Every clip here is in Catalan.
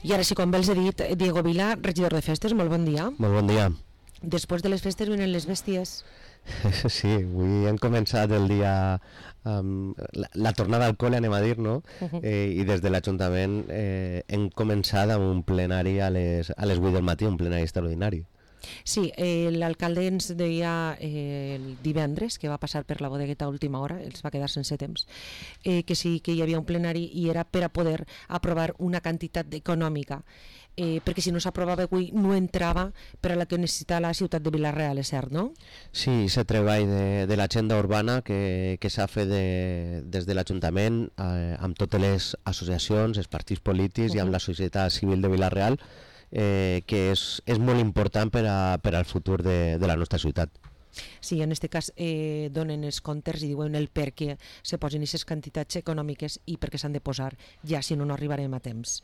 I ara sí, com bé els he dit, Diego Vila, regidor de festes, molt bon dia. Molt bon dia. Després de les festes venen les bèsties. Sí, avui hem començat el dia amb la tornada al col·le, anem a dir, no? I des de l'Ajuntament hem començat amb un plenari a les 8 del matí, un plenari extraordinari. Sí, l'alcalde ens deia el divendres, que va passar per la bodegueta a última hora, els va quedar sense temps, que sí que hi havia un plenari i era per a poder aprovar una quantitat econòmica, perquè si no s'aprovava avui no entrava per a la que necessita la ciutat de Vila-real, és cert, no? Sí, aquest treball de l'agenda urbana que s'ha fet des de l'Ajuntament amb totes les associacions, els partits polítics i amb la societat civil de Vila-real, que és molt important per al futur de la nostra ciutat. Sí, en aquest cas donen els comptes i diuen el per què se posen aquestes quantitats econòmiques i per què s'han de posar, ja si no arribarem a temps.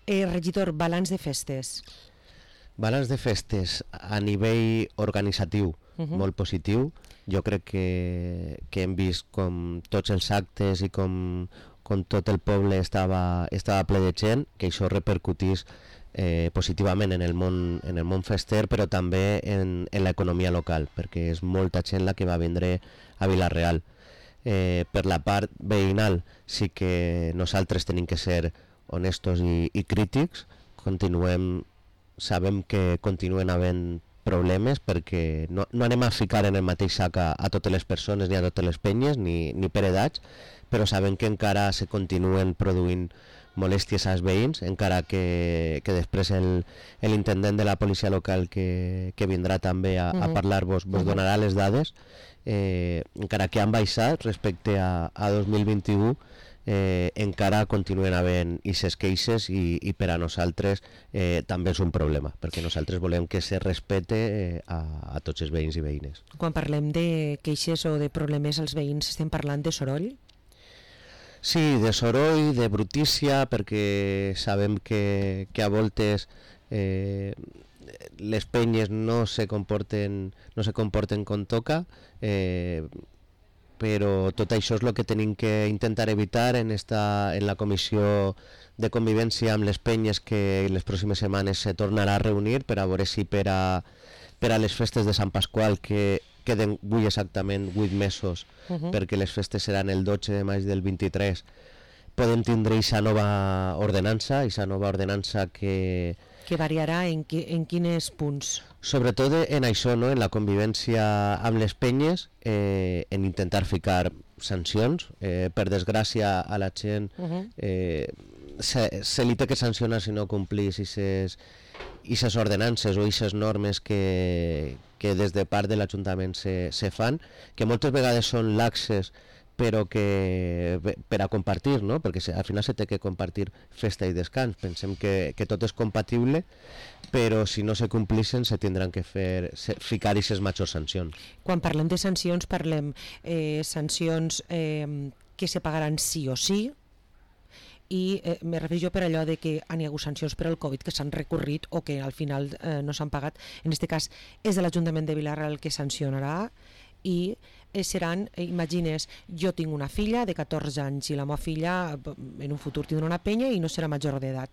Regidor, balanç de festes. Balanç de festes a nivell organitzatiu molt positiu. Jo crec que hem vist com tots els actes i com tot el poble estava ple de gent, que això repercutís positivament en el món fester, però també en l'economia local, perquè és molta gent la que va vindre a Vila-real. Per la part veïnal sí que nosaltres tenim que ser honestos i crítics. Sabem que continuen havent problemes perquè no anem a ficar en el mateix sac a totes les persones ni a totes les penyes ni per edats, però sabem que encara se continuen produint molèsties als veïns, encara que després l'intendent de la policia local que vindrà també a parlar-vos vos donarà les dades, encara que han baixat respecte a 2021, encara continuen havent aquestes queixes i per a nosaltres també és un problema, perquè nosaltres volem que se respecte a tots els veïns i veïnes. Quan parlem de queixes o de problemes als veïns, estem parlant de soroll? Sí, de soroll, de brutícia, perquè sabem que a voltes les penyes no se comporten com toca, però tot això és el que tenim que intentar evitar en la comissió de convivència amb les penyes, que les pròximes setmanes se tornarà a reunir per a veure si per a les festes de Sant Pasqual, que queden avui exactament 8 mesos, perquè les festes seran el 12 de maig del 23, podem tindre aquesta nova ordenança que variarà en quins punts? Sobretot en això, no? En la convivència amb les penyes, en intentar ficar sancions. Per desgràcia a la gent se li té que sancionar si no complís aquestes ordenances o aquestes normes que des de part de l'Ajuntament se fan, que moltes vegades són laxes, però que per a compartir, no? Perquè al final se té que compartir festa i descans. Pensem que tot és compatible, però si no se complixen se tindran que ficar aquestes majors sancions. Quan parlem de sancions, parlem sancions que se pagaran sí o sí, i me refereixo per allò de que hi ha hagut sancions per al Covid que s'han recorrit o que al final no s'han pagat. En aquest cas és de l'Ajuntament de Vila-real el que sancionarà, i seran, imagines, jo tinc una filla de 14 anys i la meva filla en un futur tindrà una penya i no serà major d'edat.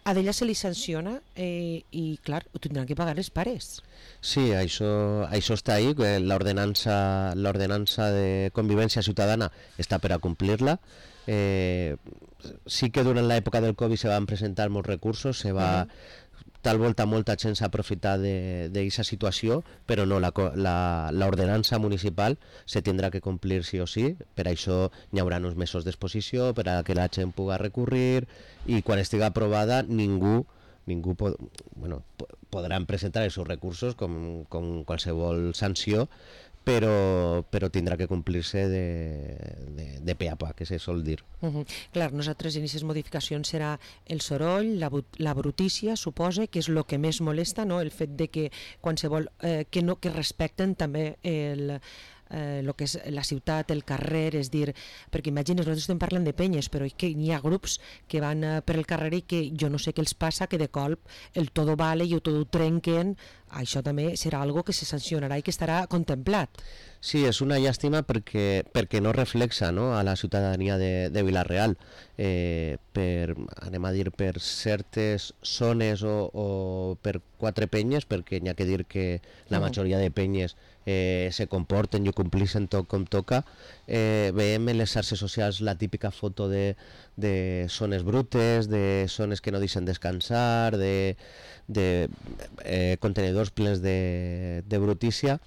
A d'ella se li sanciona i clar, ho tindran que pagar els pares. Sí, això està ahí, l'ordenança de convivència ciutadana està per a complir-la. Sí que durant l'època del Covid se van presentar molts recursos, tal volta molta gent s'ha aprofitat d'aquesta situació, però no, l'ordenança municipal se tindrà que complir sí o sí. Per això hi haurà uns mesos d'exposició per a que la gent pugui recurrir, i quan estigui aprovada ningú podran presentar els seus recursos com qualsevol sanció, però tindrà que complir-se de pe a pa, que se sol dir. Clar, nosaltres en aquestes modificacions serà el soroll, la brutícia, suposa que és el que més molesta, no? El fet de que qualsevol que respecten també el que és la ciutat, el carrer, és dir, perquè imagines, nosaltres estem parlant de penyes, però que hi ha grups que van per el carrer i que jo no sé què els passa, que de colp el todo vale i el todo ho trenquen. Això també serà algo que se sancionarà i que estarà contemplat. Sí, és una llàstima perquè no reflexa, no, a la ciutadania de Vila-real. Anem a dir, per certes zones o per 4 penyes, perquè n'hi ha que dir que la majoria de penyes se comporten i ho complixen tot com toca. Veiem en les xarxes socials la típica foto de zones brutes, de zones que no deixen descansar, de contenidors plens de brutícia,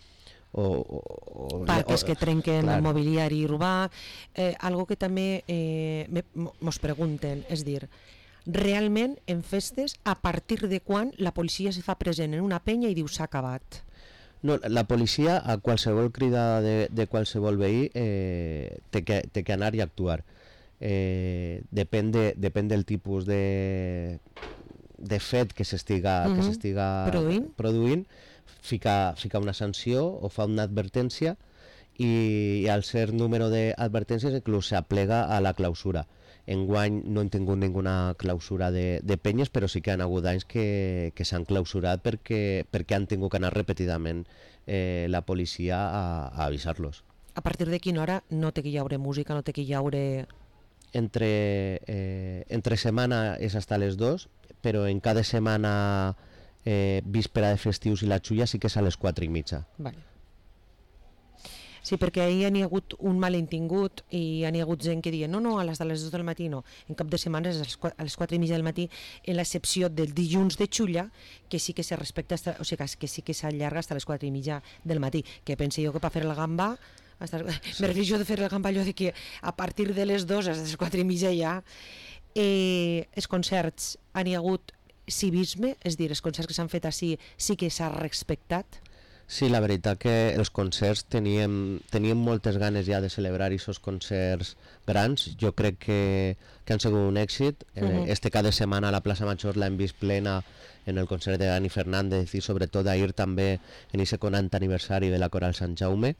parques que trenquen clar. el mobiliari urbà, algo que també mos pregunten, és dir, realment en festes a partir de quan la policia se fa present en una penya i diu s'ha acabat? No, la policia a qualsevol crida de qualsevol veí té que anar i actuar. Depèn del tipus de fet que s'estiga produint, fica una sanció o fa una advertència i al cert número d'advertències inclús s'aplega a la clausura. Enguany no hem tingut ninguna clausura de penyes, però sí que han hagut anys que s'han clausurat perquè han tingut que anar repetidament la policia a avisar-los. A partir de quina hora no té que hi haure música, no té que hi haure... Entre setmana és hasta les 2, però en cada setmana víspera de festius i la xulla sí que és a les 4:30. Vale. Sí, perquè ahir n'hi ha hagut un malentingut i n'hi ha hagut gent que diuen no, a les de les 2 del matí no, en cap de setmana és a les 4:30 del matí, en l'excepció del dilluns de xulla, que sí que se respecta, o sigui, que sí que s'allarga fins a les 4:30 del matí, que pense jo que per fer el gamba, me refereixo de fer el gamba allò de que a partir de les 2 a les 4:30 ja, els concerts n'hi ha hagut civisme, és dir, els concerts que s'han fet així sí que s'ha respectat. Sí, la veritat que els concerts teníem moltes ganes ja de celebrar aquests concerts grans. Jo crec que han sigut un èxit. Este cada setmana a la plaça Major l'hem vist plena en el concert de Dani Fernández i sobretot ahir també en aquest 40 aniversari de la Coral Sant Jaume.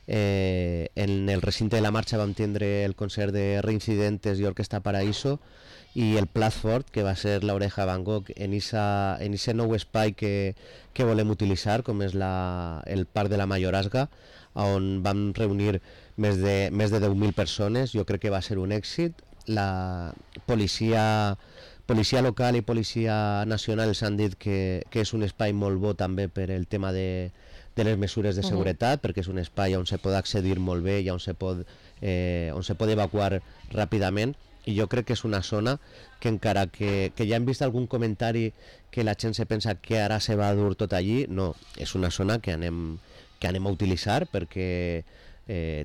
En el recinte de la marxa vam tindre el concert de Reincidentes i Orquestra Paraíso i el plat fort, que va ser l'Oreja Van Gogh, en aquest nou espai que volem utilitzar, com és el Parc de la Mayorazga, on vam reunir més de 10.000 persones. Jo crec que va ser un èxit. La policia local i policia nacional ens han dit que és un espai molt bo també per el tema de les mesures de seguretat, perquè és un espai on se pot accedir molt bé i on se pot evacuar ràpidament. I jo crec que és una zona que encara que ja hem vist algun comentari que la gent se pensa que ara se va dur tot allí, no, és una zona que anem a utilitzar perquè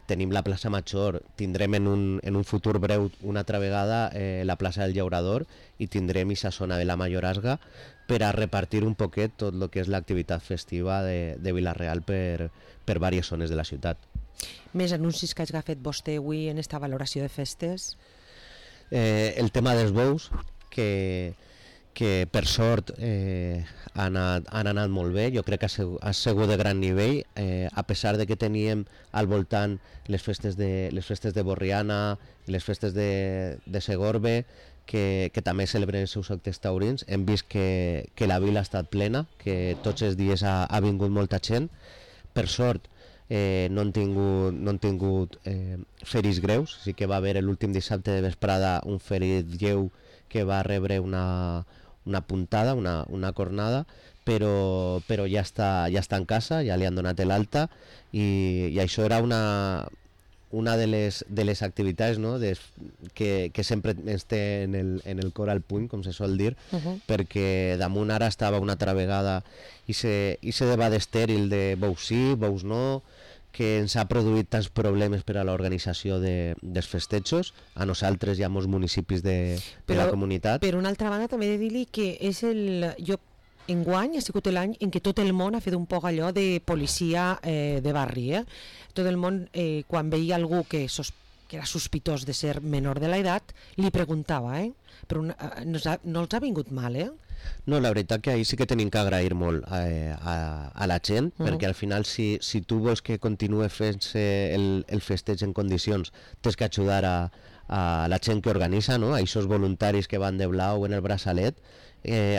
tenim la plaça Major, tindrem en un futur breu una altra vegada la plaça del Llaurador i tindrem aquesta zona de la Mayorazga per a repartir un poquet tot el que és l'activitat festiva de Vila-real per diverses zones de la ciutat. Més anuncis que hagi fet vostè avui en esta valoració de festes? El tema dels bous, que per sort han anat molt bé. Jo crec que ha sigut de gran nivell, a pesar de que teníem al voltant les festes de Borriana, les festes de Segorbe, que també celebren els seus actes taurins. Hem vist que la vila ha estat plena, que tots els dies ha vingut molta gent. Per sort no han tingut feris greus, sí que va haver l'últim dissabte de vesprada un ferit lleu que va rebre una puntada, una cornada, però ja està en casa, ja li han donat l'alta i això era una de les activitats, no? que sempre ens té en el cor al puny, com se sol dir, perquè damunt ara estava una altra vegada i se debat estèril de bous sí, bous no, que ens ha produït tants problemes per a l'organització dels festejos, a nosaltres i a molts municipis de la comunitat. Per una altra banda també he de dir-li que és enguany ha sigut l'any en què tot el món ha fet un poc allò de policia de barri. Tot el món, quan veia algú que era sospitós de ser menor de l'edat, li preguntava, però no els ha vingut mal, No, la veritat que ahir sí que tenim que agrair molt a la gent, perquè al final si tu vols que continuï fent-se el festeig en condicions, tens que ajudar a la gent que organitza, no? A aquests voluntaris que van de blau en el braçalet,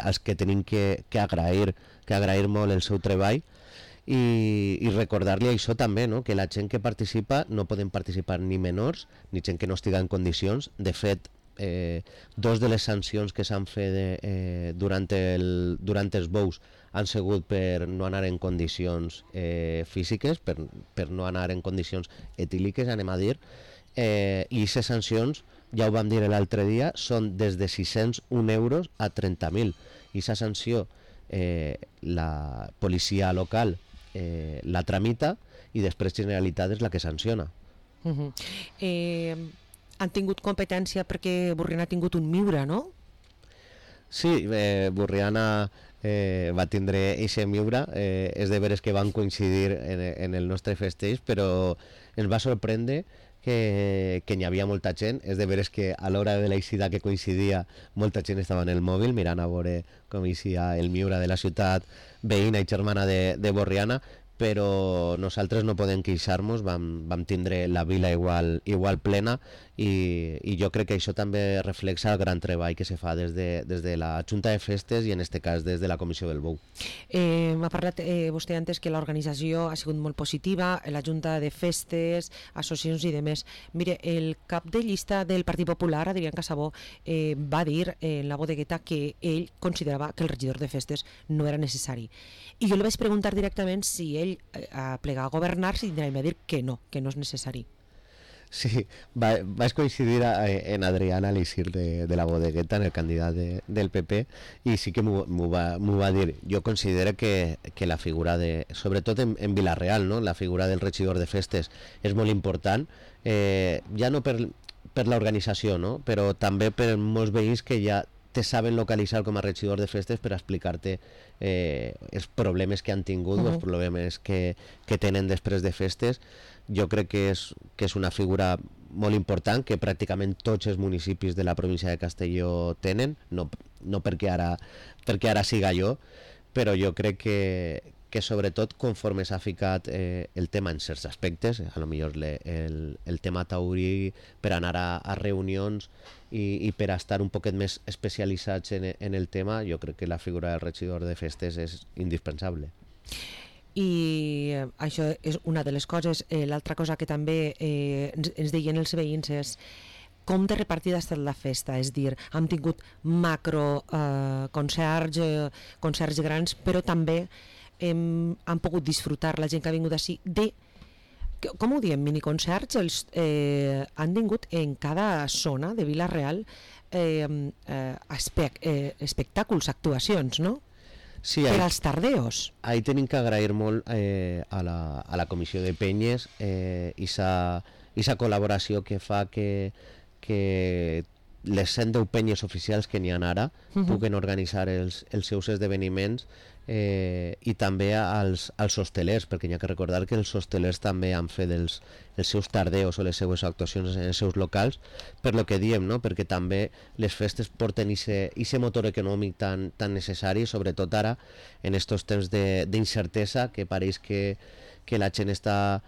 als que tenim que agrair molt el seu treball. i recordar-li això també, no? Que la gent que participa no poden participar ni menors ni gent que no estiga en condicions. De fet, dos de les sancions que s'han fet durant els bous han sigut per no anar en condicions físiques, per no anar en condicions etíliques, anem a dir, i aquestes sancions, ja ho vam dir l'altre dia, són des de 601 euros a 30.000. I aquesta sanció la policia local la tramita i després Generalitat és la que sanciona. Han tingut competència perquè Borriana ha tingut un miura, no? Sí, Borriana va tindre eixe miura, és de veres que van coincidir en el nostre festeig, però ens va sorprendre que n'hi havia molta gent. És de veres que a l'hora de l'eixida que coincidia molta gent estava en el mòbil mirant a veure com eixia el miura de la ciutat veïna i germana de Borriana, però nosaltres no podem queixar-nos, vam tindre la vila igual plena i jo crec que això també reflexa el gran treball que se fa des de la Junta de Festes i en este cas des de la Comissió del Bou. M'ha parlat vostè antes que l'organització ha sigut molt positiva, la Junta de Festes, associacions i demés. Mire, el cap de llista del Partit Popular, Adrián Casabó, va dir en la bodegueta que ell considerava que el regidor de Festes no era necessari. I jo li vaig preguntar directament si ell a plegar a governar, si tindrà a dir que no és necessari. Sí, vaig coincidir en Adrián a l'eixir de la bodegueta, en el candidat del PP, i sí que m'ho va dir. Jo considero que la figura sobretot en Vila-real, no? La figura del regidor de Festes és molt important, ja no per l'organització, no? Però també per molts veïns que ja te saben localitzar com a regidor de Festes per explicar-te els problemes que han tingut, els problemes que tenen després de festes. Jo crec que és una figura molt important que pràcticament tots els municipis de la província de Castelló tenen, no perquè ara siga jo, però jo crec que sobretot conforme s'ha ficat el tema en certs aspectes, a lo millor el tema taurí per anar a reunions i per a estar un poquet més especialitzats en el tema, jo crec que la figura del regidor de Festes és indispensable. I això és una de les coses. L'altra cosa que també ens deien els veïns és com de repartida ha estat la festa, és dir, hem tingut macro concerts grans, però també han pogut disfrutar la gent que ha vingut així de, com ho diem, miniconcerts, han tingut en cada zona de Vila-real espectàculs, actuacions, no? Sí, per als tardeos. Ahí tenim que agrair molt a la Comissió de Penyes i sa col·laboració que fa que les 110 penyes oficials que n'hi ha ara puguen organitzar els seus esdeveniments i també als hostelers, perquè n'hi ha que recordar que els hostelers també han fet els seus tardeos o les seues actuacions en els seus locals, per lo que diem, no? Perquè també les festes porten ese motor econòmic tan necessari, sobretot ara en estos temps d'incertesa que pareix que la gent està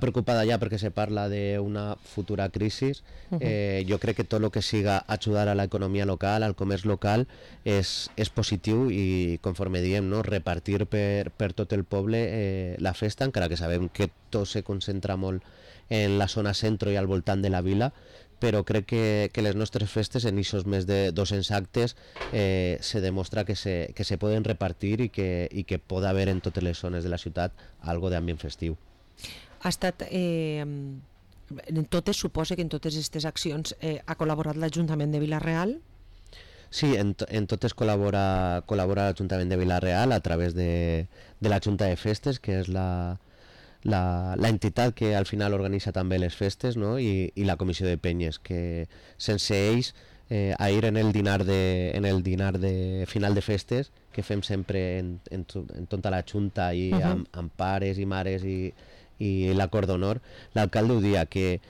preocupada ja perquè se parla d'una futura crisi. Jo crec que tot el que siga ajudar a l'economia local, al comerç local, és positiu i, conforme diem, no? Repartir per tot el poble la festa, encara que sabem que tot se concentra molt en la zona centro i al voltant de la vila, però crec que les nostres festes, en aquests més de 200 actes, se demostra que se poden repartir i que pot haver en totes les zones de la ciutat algo d'ambient festiu. Ha estat, en totes, suposa que en totes aquestes accions ha col·laborat l'Ajuntament de Vila-real? Sí, en totes col·labora l'Ajuntament de Vila-real a través de la Junta de Festes, que és l'entitat que al final organitza també les festes, no? I la Comissió de Penyes, que sense ells, ahir en el dinar de final de festes, que fem sempre en tota la Junta i amb pares i mares i l'acord d'honor, l'alcalde ho dia que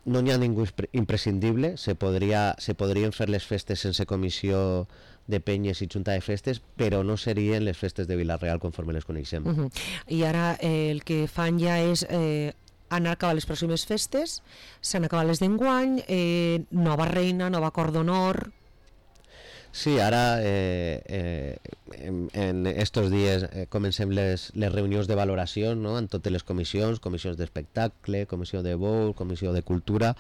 no n'hi ha ningú imprescindible, se podrien fer les festes sense comissió de penyes i junta de festes, però no serien les festes de Vila-real conforme les coneixem. I ara el que fan ja és han acabat les pròximes festes, s'han acabat les d'enguany, nova reina, nova acord d'honor. Sí, ara en estos dies comencem les reunions de valoració, no? En totes les comissions, comissions d'espectacle, comissió de bou, comissió de cultura,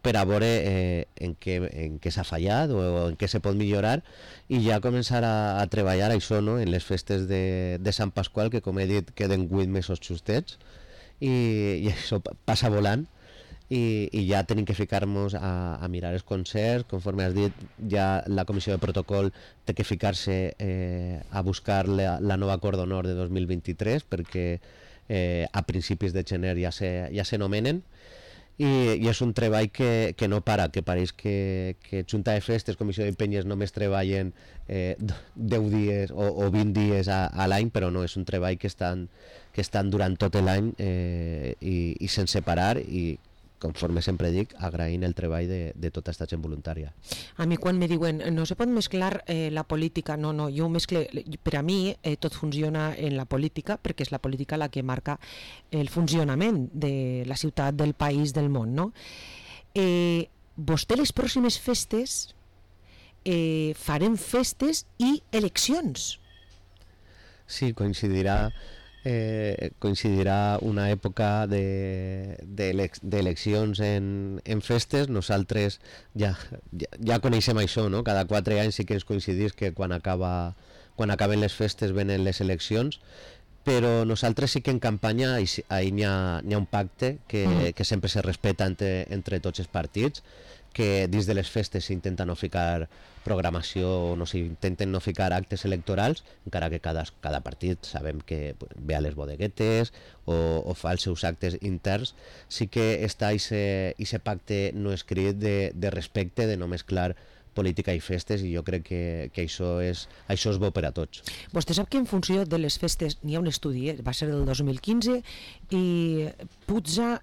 per a veure en què s'ha fallat o en què se pot millorar i ja començar a treballar això, no? En les festes de Sant Pasqual, que com he dit queden 8 mesos justets i això passa volant. I ja tenim que ficar-nos a mirar els concerts, conforme has dit, ja la comissió de protocol té que ficar-se a buscar la nova acord d'honor de 2023 perquè a principis de gener ja se nomenen i és un treball que no para, que pareix que Junta de Festes, Comissió de Penyes només treballen 10 dies o 20 dies a l'any, però no, és un treball que estan durant tot l'any i sense parar i conforme sempre dic, agraint el treball de tota aquesta gent voluntària. A mi quan me diuen no se pot mesclar la política, no, jo ho mescle, per a mi tot funciona en la política perquè és la política la que marca el funcionament de la ciutat, del país, del món, no? Vostè les pròximes festes farem festes i eleccions. Sí, coincidirà una època d'eleccions en festes. Nosaltres ja coneixem això, no? Cada 4 anys sí que ens coincidís que quan acaben les festes venen les eleccions, però nosaltres sí que en campanya ahí n'hi ha un pacte que sempre se respeta entre tots els partits, que dins de les festes s'intenta no ficar programació o no s'intenten no ficar actes electorals, encara que cada partit sabem que ve a les bodeguetes o fa els seus actes interns. Sí que està aquest pacte no escrit de respecte, de no mesclar política i festes, i jo crec que això és bo per a tots. Vostè sap que en funció de les festes n'hi ha un estudi, va ser del 2015, i puja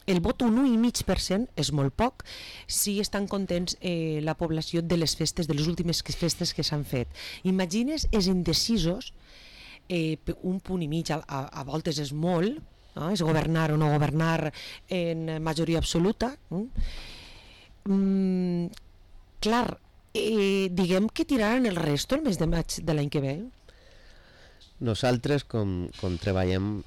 el vot un 1,5% és molt poc si estan contents la població de les festes, de les últimes festes que s'han fet. Imagines els indecisos, un punt i mig a voltes és molt, no? És governar o no governar en majoria absoluta. Clar, diguem que tiraran el resto el mes de maig de l'any que ve. Nosaltres, com treballem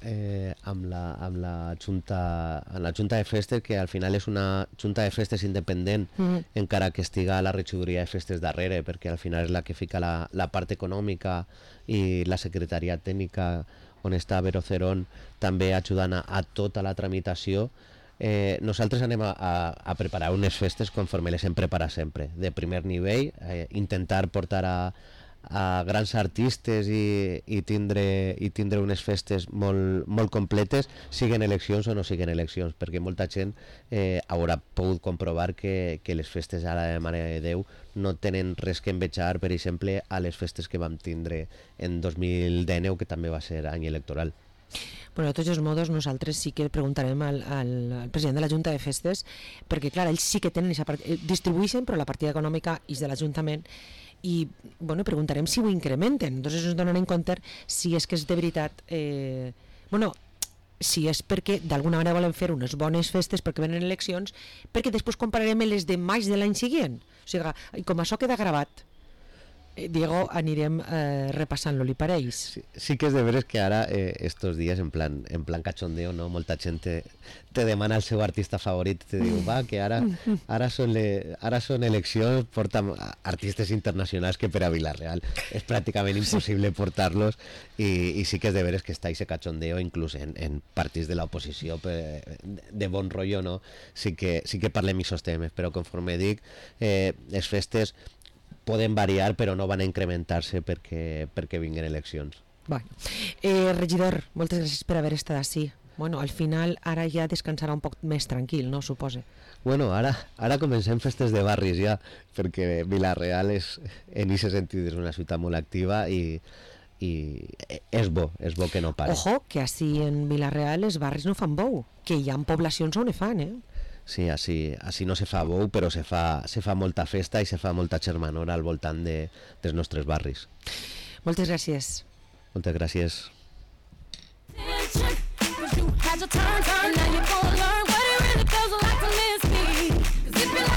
amb la Junta de Festes, que al final és una Junta de Festes independent, encara que estiga la regidoria de festes darrere, perquè al final és la que fica la part econòmica i la secretaria tècnica, on està Vero Cerón també ajudant a tota la tramitació. Nosaltres anem a preparar unes festes conforme les hem preparat sempre, de primer nivell, intentar portar a grans artistes i tindre unes festes molt completes, siguen eleccions o no siguen eleccions, perquè molta gent haurà pogut comprovar que les festes ara de Mare de Déu no tenen res que envejar, per exemple, a les festes que vam tindre en 2019, que també va ser any electoral. Bueno, de tots els modos, nosaltres sí que preguntarem al president de la Junta de Festes, perquè clar, ells sí que tenen distribueixen, però la partida econòmica és de l'Ajuntament, i bueno, preguntarem si ho incrementen. Entonces ens donen en compte si és que és de veritat si és perquè d'alguna manera volen fer unes bones festes perquè venen eleccions, perquè després compararem les de maig de l'any següent. O sigui, com això queda gravat, Diego, anirem repassant-lo, li pareix? Sí que és de veres que ara estos dies en plan cachondeo, no? Molta gent te demana el seu artista favorit, te diu, va, que ara són eleccions, porta artistes internacionals que per a Vila-real és pràcticament impossible portar-los, i sí que és de veres que està ese cachondeo inclús en partits de l'oposició de bon rotllo, no? Sí que parlem d'aquests temes, però conforme dic, les festes poden variar, però no van a incrementar-se perquè vinguin eleccions. Bueno. Regidor, moltes gràcies per haver estat així. Bueno, al final ara ja descansarà un poc més tranquil, no, supose? Bueno, ara comencem festes de barris ja, perquè Vila-real en aquest sentit és una ciutat molt activa i és bo que no pare. Ojo, que així en Vila-real els barris no fan bou, que hi ha poblacions on fan, Sí, així no se fa bou, però se fa molta festa i se fa molta germanor al voltant dels nostres barris. Moltes gràcies. Moltes gràcies.